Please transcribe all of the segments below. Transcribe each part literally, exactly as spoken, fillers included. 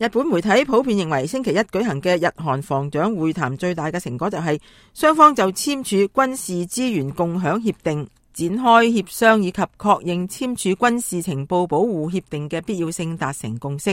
日本媒體普遍認為，星期一舉行嘅日韓防長會談最大嘅成果就係雙方就簽署軍事資源共享協定、展開協商以及確認簽署軍事情報保護協定嘅必要性達成共識。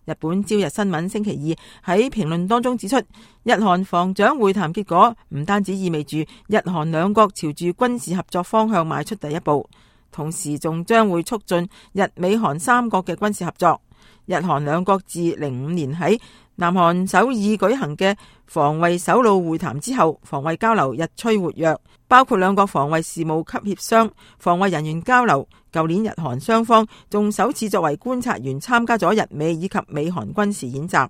日本朝日新聞星期二喺評論當中指出，日韓防長會談結果唔單止意味住日韓兩國朝住軍事合作方向邁出第一步，同時仲將會促進日美韓三國嘅軍事合作。日韓兩國自零五年喺南韓首爾舉行嘅防衛首腦會談之後，防衛交流日趨活躍，包括兩國防衛事務級協商、防衛人員交流。舊年日韓雙方仲首次作為觀察員參加咗日美以及美韓軍事演習，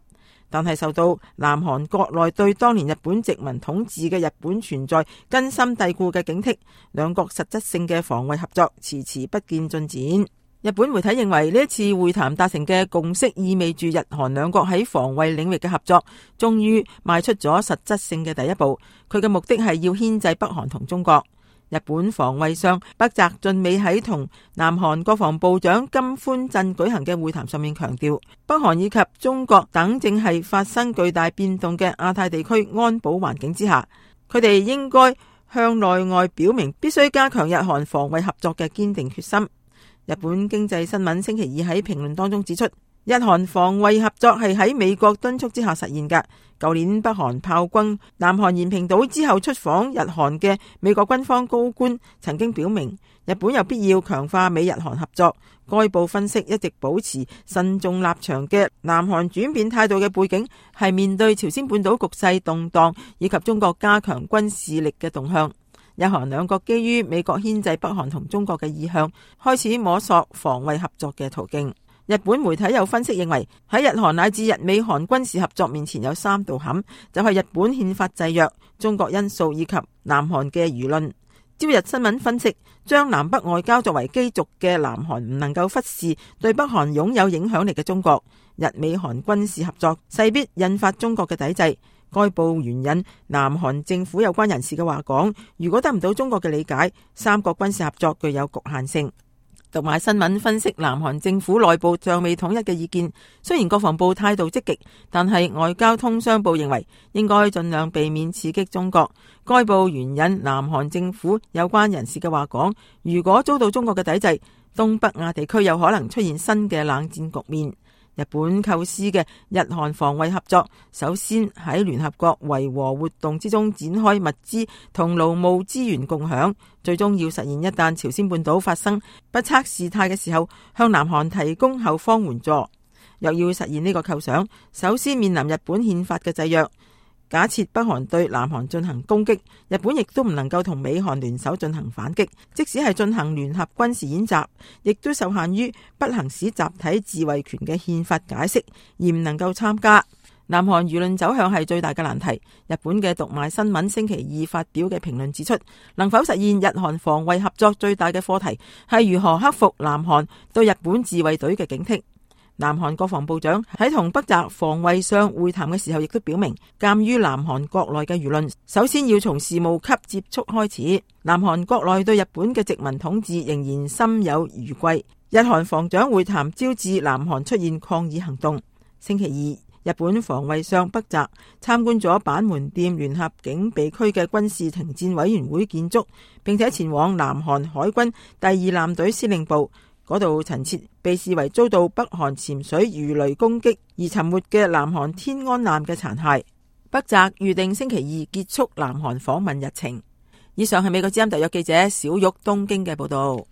但係受到南韓國內對當年日本殖民統治嘅日本存在根深蒂固嘅警惕，兩國實質性嘅防衛合作遲遲不見進展。日本媒體認為呢一次會談達成嘅共識意味住日韓兩國喺防衛領域嘅合作終於邁出咗實質性嘅第一步。佢嘅目的係要牽制北韓同中國。日本防衛相北澤俊美喺同南韓國防部長金寬鎮舉行嘅會談上面強調，北韓以及中國等正係發生巨大變動嘅亞太地區安保環境之下，佢哋應該向內外表明必須加強日韓防衛合作嘅堅定決心。日本經濟新聞星期二喺評論當中指出，日韓防衛合作係喺美國敦促之下實現嘅。舊年北韓炮轟南韓延坪島之後出訪日韓嘅美國軍方高官曾經表明，日本有必要強化美日韓合作。該報分析，一直保持慎重立場嘅南韓轉變態度嘅背景係面對朝鮮半島局勢動盪以及中國加強軍事力嘅動向。日韓兩國基於美國牽制北韓同中國嘅意向，開始摸索防衛合作嘅途徑。日本媒體有分析認為，喺日韓乃至日美韓軍事合作面前有三道坎，就係日本憲法制約、中國因素以及南韓嘅輿論。朝日新聞分析，將南北外交作為基軸嘅南韓唔能夠忽視對北韓擁有影響力嘅中國。日美韓軍事合作勢必引發中國嘅抵制。該報援引南韓政府有關人士嘅話講，如果得唔到中國嘅理解，三國軍事合作具有局限性。讀賣新聞分析南韓政府內部尚未統一嘅意見，雖然國防部態度積極，但係外交通商部認為應該盡量避免刺激中國。該報援引南韓政府有關人士嘅話講，如果遭到中國嘅抵制，東北亞地區有可能出現新嘅冷戰局面。日本構思嘅日韓防衛合作，首先喺聯合國維和活動之中展開物資同勞務資源共享，最終要實現一旦朝鮮半島發生不測事態嘅時候，向南韓提供後方援助。若要實現呢個構想，首先面臨日本憲法嘅制約。假設北韓對南韓進行攻擊，日本亦都唔能夠同美韓聯手進行反擊，即使係進行聯合軍事演習，亦都受限於不行使集體自衛權嘅憲法解釋，而唔能夠參加。南韓輿論走向係最大嘅難題。日本嘅讀賣新聞星期二發表嘅評論指出，能否實現日韓防衛合作最大嘅課題係如何克服南韓對日本自衛隊嘅警惕。南韓國防部長喺同北澤防衛相會談嘅時候，亦都表明，鑒於南韓國內嘅輿論，首先要從事務級接觸開始。南韓國內對日本嘅殖民統治仍然心有餘悸。日韓防長會談招致南韓出現抗議行動。星期二，日本防衛相北澤參觀咗板門店聯合警備區嘅軍事停戰委員會建築，並且前往南韓海軍第二艦隊司令部。嗰度陳設被視為遭到北韓潛水魚雷攻擊而沉沒嘅南韓天安艦嘅殘骸。北澤預定星期二結束南韓訪問日程。以上係美國之音特約記者小玉東京嘅報道。